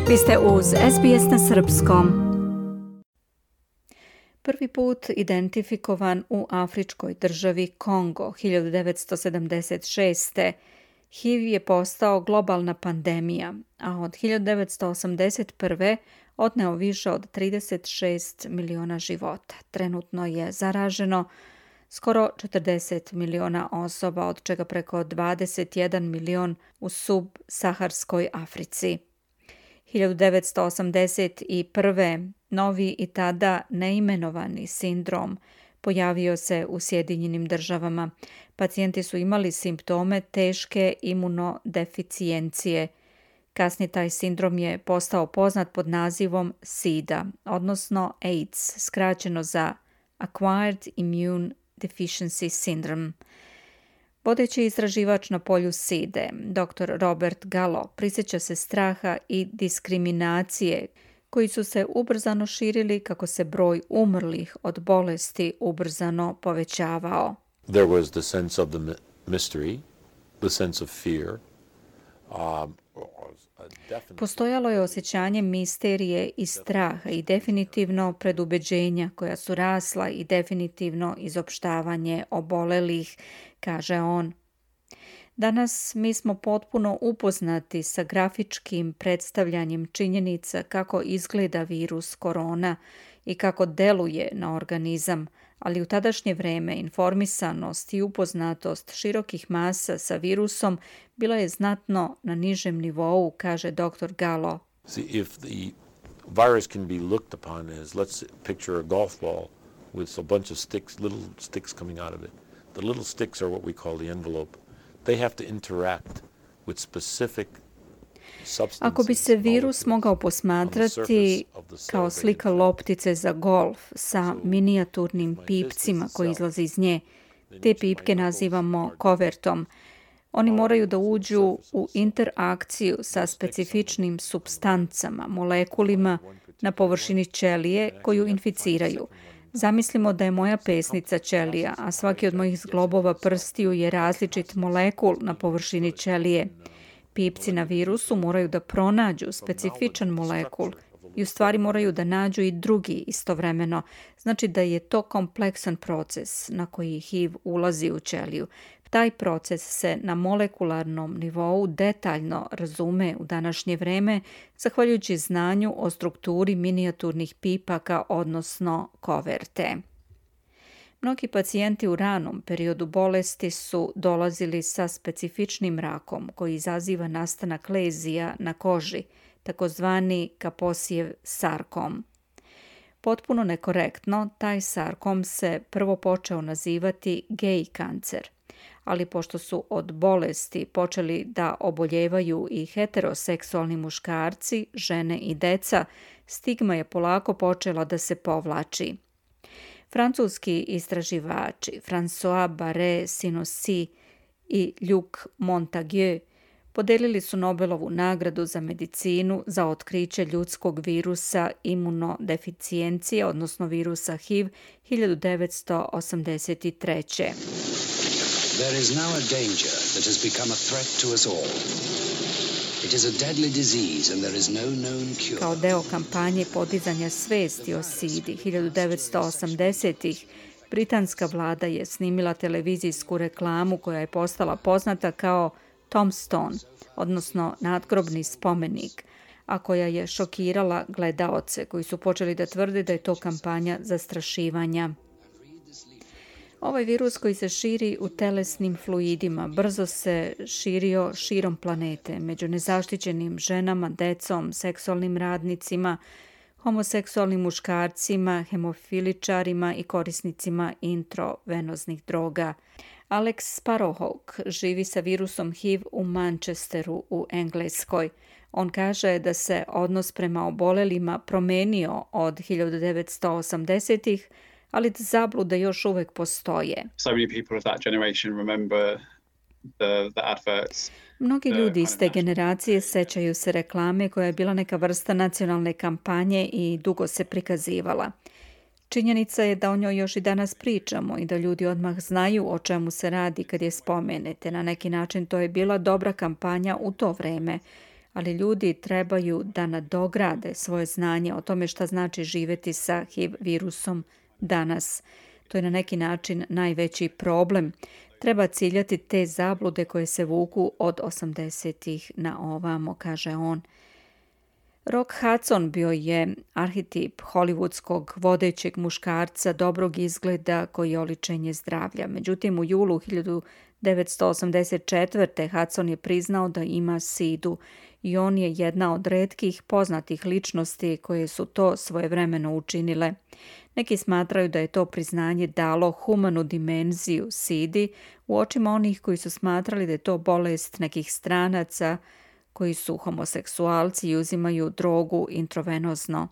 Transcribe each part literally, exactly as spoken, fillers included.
Vi ste uz S B S na srpskom. Prvi put identifikovan u afričkoj državi Kongo hiljadu devetsto sedamdeset šeste. H I V je postao globalna pandemija, a od hiljadu devetsto osamdeset prve otneo više od trideset šest miliona života. Trenutno je zaraženo skoro četrdeset miliona osoba, od čega preko dvadeset jedan milion u subsaharskoj Africi. hiljadu devetsto osamdeset prve. novi i tada neimenovani sindrom pojavio se u Sjedinjenim državama. Pacijenti su imali simptome teške imunodeficijencije. Kasnije taj sindrom je postao poznat pod nazivom SIDA, odnosno AIDS, skraćeno za Acquired Immune Deficiency Syndrome. Vodeći istraživač na polju SIDE, doktor Robert Gallo, prisjeća se straha i diskriminacije koji su se ubrzano širili kako se broj umrlih od bolesti ubrzano povećavao. There was the sense of the mystery, the sense of fear. Um, Postojalo je osjećanje misterije i straha i definitivno predubeđenja koja su rasla i definitivno izopštavanje obolelih, kaže on. Danas mi smo potpuno upoznati sa grafičkim predstavljanjem činjenica kako izgleda virus korona i kako deluje na organizam, ali u tadašnje vreme informisanost i upoznatost širokih masa sa virusom bila je znatno na nižem nivou, kaže doktor Gallo. See, if the virus can be looked upon as, let's picture a golf ball with a bunch of sticks, little sticks coming out of it. The little sticks are what we call the envelope. They have to interact with specific substances. Ako bi se virus mogao posmatrati kao slika loptice za golf sa minijaturnim pipcima koji izlaze iz nje, te pipke nazivamo kovertom. Oni moraju da uđu u interakciju sa specifičnim supstancama, molekulima na površini ćelije koju inficiraju. Zamislimo da je moja pesnica ćelija, a svaki od mojih zglobova prstiju je različit molekul na površini ćelije. Pipci na virusu moraju da pronađu specifičan molekul i u stvari moraju da nađu i drugi istovremeno. Znači da je to kompleksan proces na koji H I V ulazi u ćeliju. Taj proces se na molekularnom nivou detaljno razume u današnje vreme, zahvaljujući znanju o strukturi minijaturnih pipaka, odnosno koverte. Mnogi pacijenti u ranom periodu bolesti su dolazili sa specifičnim rakom koji izaziva nastanak lezija na koži, takozvani Kaposijev sarkom. Potpuno nekorektno, taj sarkom se prvo počeo nazivati gej kancer, ali pošto su od bolesti počeli da oboljevaju i heteroseksualni muškarci, žene i deca, stigma je polako počela da se povlači. Francuski istraživači François Barré-Sinoussi i Luc Montagnier podelili su Nobelovu nagradu za medicinu za otkriće ljudskog virusa imunodeficijencije, odnosno virusa H I V hiljadu devetsto osamdeset treće. There is now a danger that has become a threat to us all. It is a deadly disease and there is no known cure. Kao deo kampanje podizanja svesti o SIDI hiljadu devetsto osamdesetih. britanska vlada je snimila televizijsku reklamu koja je postala poznata kao Tombstone, odnosno nadgrobni spomenik, a koja je šokirala gledaoce koji su počeli da tvrde da je to kampanja zastrašivanja. Ovaj virus koji se širi u telesnim fluidima brzo se širio širom planete među nezaštićenim ženama, decom, seksualnim radnicima, homoseksualnim muškarcima, hemofiličarima i korisnicima intravenoznih droga. Alex Sparrowhawk živi sa virusom H I V u Manchesteru u Engleskoj. On kaže da se odnos prema obolelima promenio od hiljadu devetsto osamdesetih, ali da zablude još uvek postoje. So many people of that generation remember the, the adverts. Mnogi ljudi iz te generacije sećaju se reklame koja je bila neka vrsta nacionalne kampanje i dugo se prikazivala. Činjenica je da o njoj još i danas pričamo i da ljudi odmah znaju o čemu se radi kad je spomenete. Na neki način to je bila dobra kampanja u to vreme, ali ljudi trebaju da nadograde svoje znanje o tome šta znači živjeti sa H I V virusom danas. To je na neki način najveći problem. Treba ciljati te zablude koje se vuku od osamdesetih na ovamo, kaže on. Rock Hudson bio je arhetip hollywoodskog vodećeg muškarca dobrog izgleda koji je oličenje zdravlja. Međutim, u julu hiljadu devetsto osamdeset četvrte. Hudson je priznao da ima sidu i on je jedna od retkih poznatih ličnosti koje su to svojevremeno učinile. Neki smatraju da je to priznanje dalo humanu dimenziju sidi u očima onih koji su smatrali da je to bolest nekih stranaca koji su homoseksualci i uzimaju drogu intravenozno.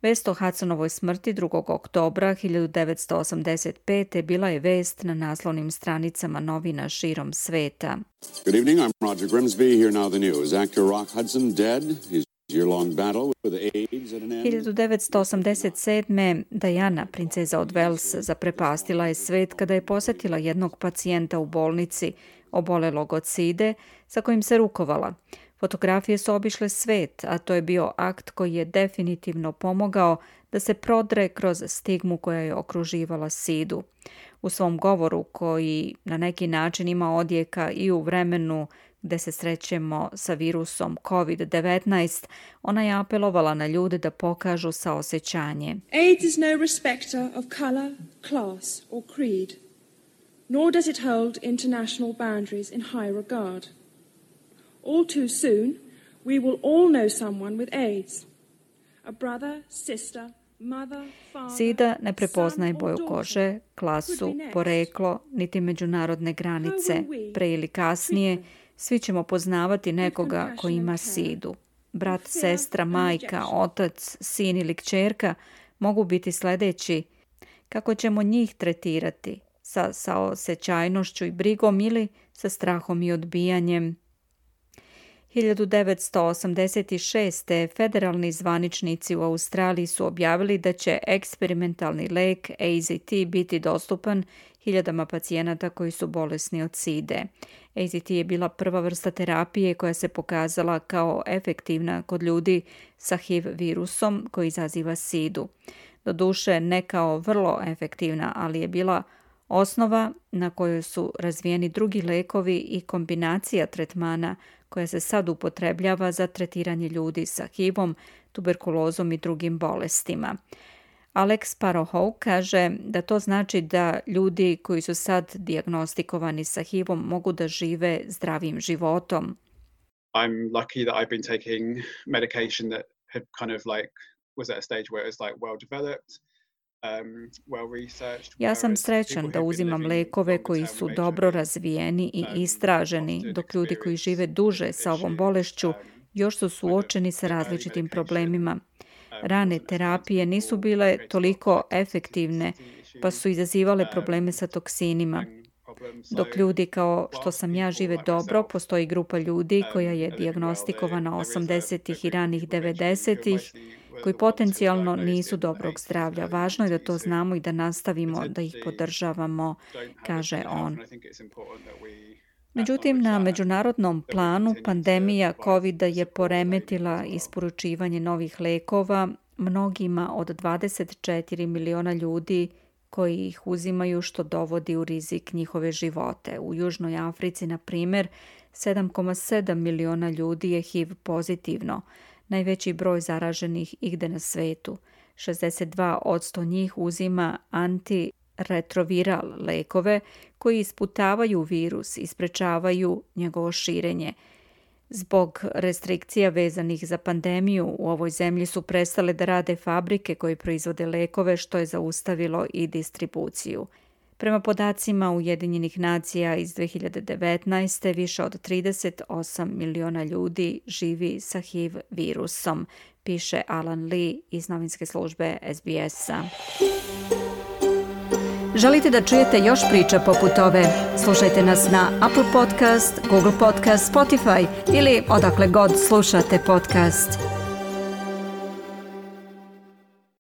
Vest o Hudsonovoj smrti drugog oktobra hiljadu devetsto osamdeset pete. bila je vest na naslovnim stranicama novina širom sveta. Good evening, I'm Roger Grimsby. Here now the news. Actor Rock Hudson dead. His year-long battle with AIDS at an end. hiljadu devetsto osamdeset sedme. Diana, princeza od Wales, zaprepastila je svet kada je posjetila jednog pacijenta u bolnici obolelog od side sa kojim se rukovala. Fotografije su obišle svet, a to je bio akt koji je definitivno pomogao da se prodre kroz stigmu koja je okruživala sidu. U svom govoru, koji na neki način ima odjeka i u vremenu gde se srećemo sa virusom kovid devetnaest, ona je apelovala na ljude da pokažu saosećanje. AIDS is no respecter of color, class or creed, nor does it hold international boundaries in high regard. All too soon, we will all know someone with AIDS. A brother, sister, mother, father, Sida ne prepoznaje son or boju daughter. kože, klasu, poreklo, niti međunarodne granice. Pre ili kasnije, svi ćemo poznavati nekoga ko ima sidu. Brat, sestra, majka, otac, sin ili kćerka mogu biti sljedeći. Kako ćemo njih tretirati? Sa saosećajnošću i brigom ili sa strahom i odbijanjem? hiljadu devetsto osamdeset šeste. federalni zvaničnici u Australiji su objavili da će eksperimentalni lek A Z T biti dostupan hiljadama pacijenata koji su bolesni od side. A Z T je bila prva vrsta terapije koja se pokazala kao efektivna kod ljudi sa H I V virusom koji izaziva sidu. Doduše ne kao vrlo efektivna, ali je bila osnova na kojoj su razvijeni drugi lekovi i kombinacija tretmana koja se sad upotrebljava za tretiranje ljudi sa H I V-om, tuberkulozom i drugim bolestima. Alex Parohow kaže da to znači da ljudi koji su sad dijagnostikovani sa H I V-om mogu da žive zdravim životom. I'm lucky that I've been taking medication that had kind of like was at a stage where it was like well developed. Um, well researched, Ja sam whereas srećan people da who've been uzimam living lekove longer koji term su with dobro H I V, razvijeni i um, istraženi, often dok ljudi koji experience žive duže sa ovom issues, bolešću um, još su suočeni sa različitim problemima. Rane terapije nisu bile toliko efektivne, pa su izazivale probleme sa toksinima. Dok ljudi kao što sam ja žive dobro, postoji grupa ljudi koja je dijagnostikovana osamdesetih i ranih devedesetih, koji potencijalno nisu dobrog zdravlja. Važno je da to znamo i da nastavimo da ih podržavamo, kaže on. Međutim, na međunarodnom planu pandemija kovida je poremetila isporučivanje novih lekova mnogima od dvadeset četiri miliona ljudi koji ih uzimaju, što dovodi u rizik njihove živote. U Južnoj Africi, na primjer, sedam zarez sedam miliona ljudi je H I V pozitivno, najveći broj zaraženih igde na svetu. šezdeset dva posto njih uzima antiretroviral lekove koji isputavaju virus i sprečavaju njegovo širenje. Zbog restrikcija vezanih za pandemiju u ovoj zemlji su prestale da rade fabrike koje proizvode lekove, što je zaustavilo i distribuciju. Prema podacima Ujedinjenih nacija iz dve hiljade devetnaeste. više od trideset osam miliona ljudi živi sa H I V virusom, piše Alan Lee iz novinske službe S B S-a. Želite da čujete još priča poput ove? Slušajte nas na Apple Podcast, Google Podcast, Spotify ili odakle god slušate podcast.